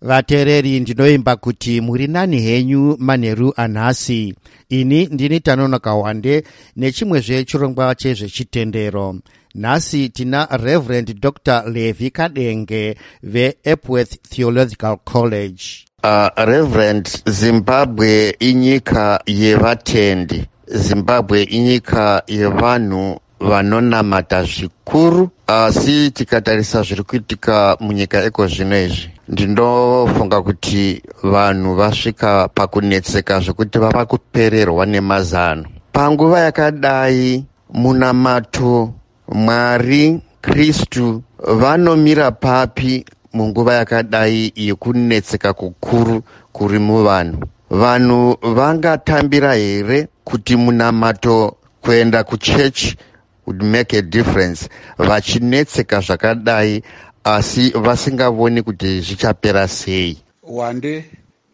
Vateereri, ndinoimba kuti muri nani henyu manheru anhasi. Ini ndini Tanonoka Wande nechimwezve chirongwa chezvechitendero. Nhasi tina Reverend Dr Levi Kadenge veEpworth Theological College. Reverend, Zimbabwe inyika yevatendi. Zimbabwe inyika yevanhu vanonamata zvikuru, asi tikatarisa zviri kuitika munyika iko zvino izvi, ndinofunga kuti vanhu vasvika pakunetseka zvekuti vava kupererwa nemazano. Panguva yakadai, munamato, Mwari, Kristu vanomira papi munguva yakadai yekunetseka kukuru kuri muvanhu? Vanhu vangatambira here kuti munamato, kuenda kuchechi would make a difference, vachinetseka zvakadai asi vasingavoni kuti zvichapera sei? Wande,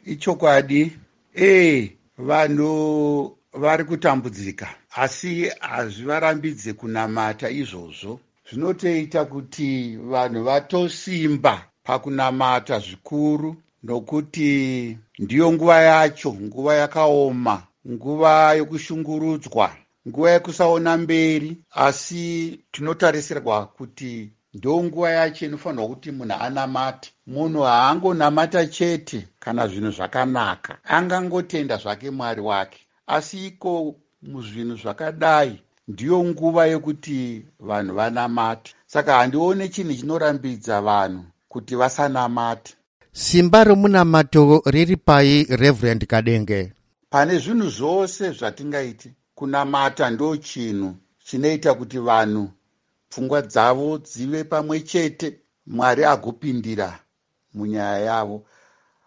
ichokwadi, ee, vanhu vari kutambudzika, asi hazvivarambidze kunamata izvozvo. Zvinotoita kuti vanhu vatosimba pakunamata zvikuru, nokuti ndiyo nguva yacho, nguva yakaoma, nguva yokushungurudzwa, nguva yekusaona mberi, asi tinotarisirwa kuti ndo nguva yacho inofanirwa kuti munhu anamate. Munhu haangonamata chete kana zvinhu zvakanaka, angangotenda zvake Mwari wake, asi iko muzvinhu zvakadai ndiyo nguva yekuti vanhu vanamate. Saka handione chinhu chinorambidza vanhu kuti vasanamate. Simba romunamato riri pai, Reverend Kadenge? Pane zvinhu zvose zvatingaiti, kunamata ndo chinhu chinoita kuti vanhu pfungwa dzavo dzive pamwe chete, Mwari agopindira munyaya yavo.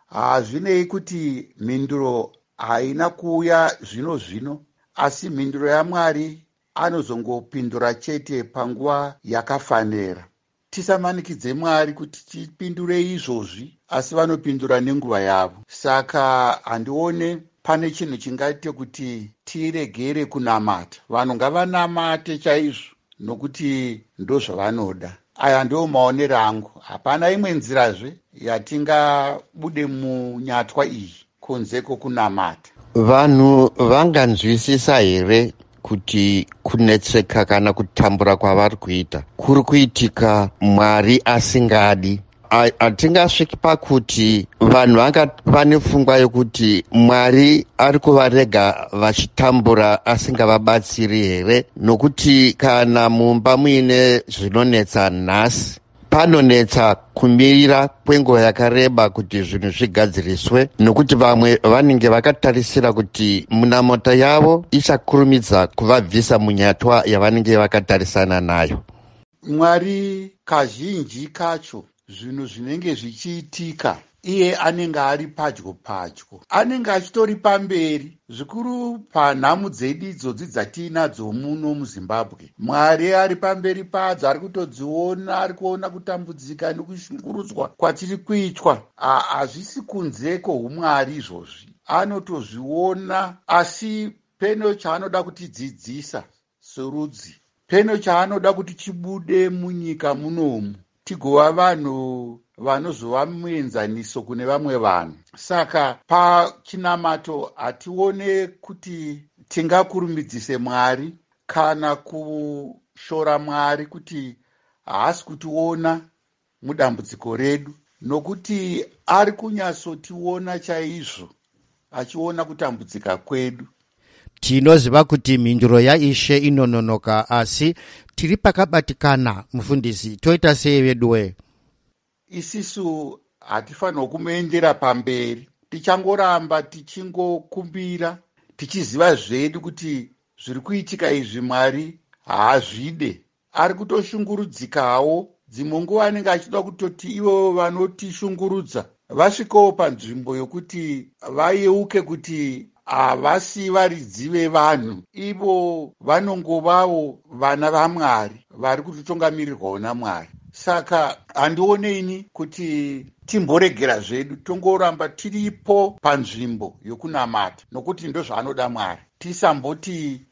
Hazvinei kuti mhinduro haina kuuya zvino zvino, asi mhinduro yaMwari anozongopindura chete panguva yakafanira. Tisamanikidze Mwari kuti tipindure izvozvi, asi vanopindura nenguva yavo. Saka handione pane chinhu chingaite kuti tiregere kunamata. Vanhu ngavanamate chaizvo, nokuti ndozvavanoda. Aya ndiwo maonero angu. Hapana imwe nzirazve yatingabude munyatwa iyi kunze kwokunamata. Vanhu vanganzwisisa here kuti kunetseka kana kutambura kwavari kuita kuri kuitika Mwari asingadi? Hatingasviki pakuti vanhu vanga vane pfungwa yokuti Mwari ari kuvarega vachitambura asingavabatsiri here? Nokuti kana mumba muine zvinonetsa nhasi, panonetsa kumirira kwenguva yakareba kuti zvinhu zvigadziriswe, nokuti vamwe vanenge vakatarisira kuti munamato yavo ichakurumidza kuvabvisa munyatwa yavanenge vakatarisana nayo. Mwari kazhinji kacho zvinhu zvinenge zvichiitika, iye anenge ari padyo padyo, anenge achitori pamberi zvikuru panhamu dzedu idzodzi dzatiinadzo muno muZimbabwe. Mwari ari pamberi padzo, ari kutodziona, ari kuona kutambudzika nekushungurudzwa kwatiri kuitwa. Hazvisi kunze kwoumwari izvozvi, anotozviona, asi peno chaanoda kutidzidzisa serudzi, peno chaanoda kuti chibude munyika munomu, tigova vanhu vanozova muenzaniso kune vamwe vanhu. Saka pachinamato hatione kuti tingakurumidzise Mwari kana kushora Mwari kuti haasi kutiona mudambudziko redu, nokuti ari kunyatsotiona chaizvo, achiona kutambudzika kwedu. Tinoziva kuti mhinduro yaIshe inononoka, asi tiri pakabatikana, mufundisi. Toita sei veduwe? Isisu hatifanirwa kumuendera pamberi. Tichangoramba tichingokumbira, tichiziva zvedu kuti zviri kuitika izvi Mwari haazvide. Ari kutoshungurudzikawo. Dzimwe nguva anenge achida kutoti ivo vanotishungurudza vasvikewo panzvimbo yokuti vayeuke kuti havasi varidzi vevanhu, ivo vanongovawo vana vaMwari vari kutotongamirirwawo naMwari. Saka handioneini kuti timboregera zvedu, tongoramba tiripo panzvimbo yokunamata, nokuti ndozvaanoda Mwari. Tisamboti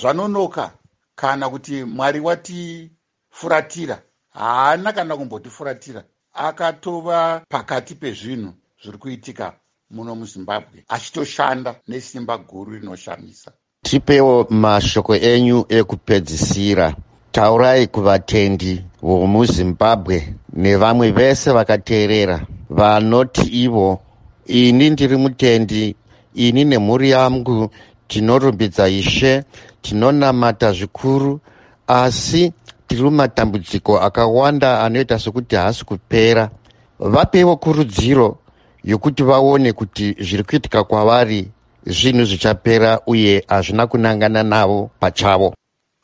zvanonoka kana kuti Mwari watifuratira. Haana kana kumbotifuratira. Akatova pakati pezvinhu zviri kuitika muno muZimbabwe, achitoshanda nesimba guru rinoshamisa. Tipewo mashoko enyu ekupedzisira. Taurai kuvatendi vomuZimbabwe nevamwe vese vakateerera vanoti ivo, "Ini ndiri mutendi, ini nemhuri yangu tinorumbidza Ishe, tinonamata zvikuru, asi tiri mumatambudziko akawanda anoita sekuti haasi kupera." Vapewo kurudziro yokuti vaone kuti zviri kuitika kwavari zvinhu zvichapera uye hazvina kunangana navo pachavo.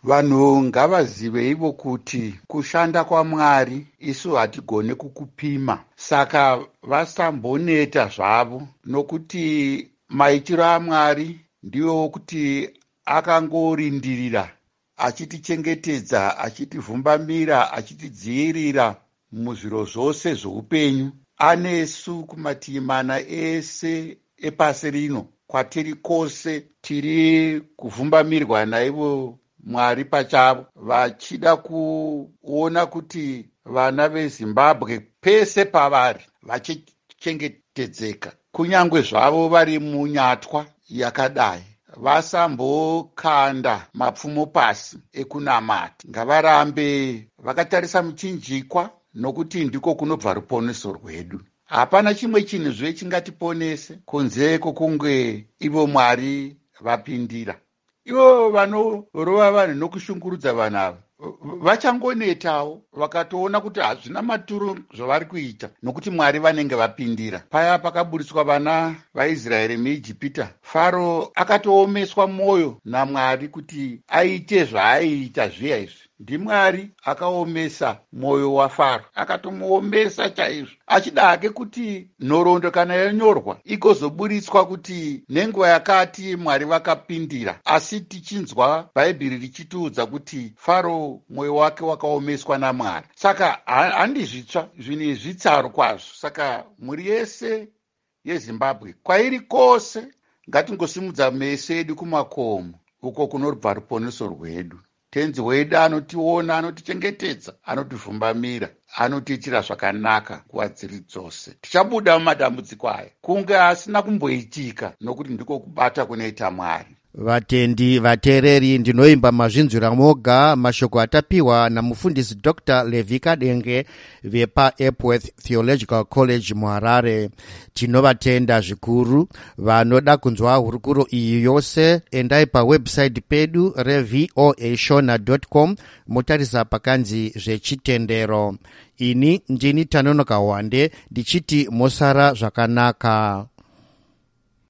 Vanhu ngavazive ivo kuti kushanda kwaMwari isu hatigone kukupima, saka vasamboneta zvavo, nokuti maitiro aMwari ndiwo kuti akangorindirira achitichengetedza, achitivhumbamira, achitidzivirira muzviro zvose zvoupenyu. Anesu kumativi mana ese epasi rino, kwatiri kwose tiri kuvhumbamirwa naivo Mwari pachavo, vachida kuona kuti vana veZimbabwe pese pavari vachichengetedzeka, kunyange zvavo vari munyatwa yakadai. Vasambokanda mapfumo pasi ekunamata, ngavarambe vakatarisa muchinjikwa, nokuti ndiko kunobva ruponeso rwedu. Hapana chimwe chinhu zve chingatiponese kunze kwokunge ivo Mwari vapindira. Ivo vanorova vanhu nokushungurudza vanhu ava vachangonetawo vakatoona kuti hazvina maturo zvavari kuita, nokuti Mwari vanenge vapindira. Paya pakaburitswa vana vaIsraeri muIjipita, Faro akatoomeswa mwoyo naMwari kuti aite zvaaiita zviya izvi. NdiMwari akaomesa mwoyo waFaro, akatomuomesa chaizvo, achida hake kuti nhoroondo kana yanyorwa igozoburitswa kuti nenguva yakati Mwari vakapindira. Asi tichinzwa Bhaibheri richitiudza kuti Faro mwoyo wake wakaomeswa naMwari. Saka handi zvitsva zvinhu izvi, tsaro kwazvo. Saka mhuri yese yeZimbabwe kwairi kwose, ngatingosimudza meso edu kumakomo, uko kunobva ruponeso rwedu. Tenzi wedu anotiona, anotichengetedza, anotivhumbamira, anotiitira zvakanaka nguva dziri dzose. Tichabuda mumatambudziko aya kunge asina kumboitika, nokuti ndiko kubata kunoita Mwari. Vatendi vateereri, ndinoimba mazvinzwira moga mashoko atapiwa namufundisi Dr Levi Kadenge vepaEpworth Theological College muHarare. Tinovatenda zvikuru. Vanoda kunzwa hurukuro iyi yose, endai pawebsite pedu reVOA Shona com, motarisa pakanzi zvechitendero. Ini ndini Tanonoka Wande, ndichiti mosara zvakanaka.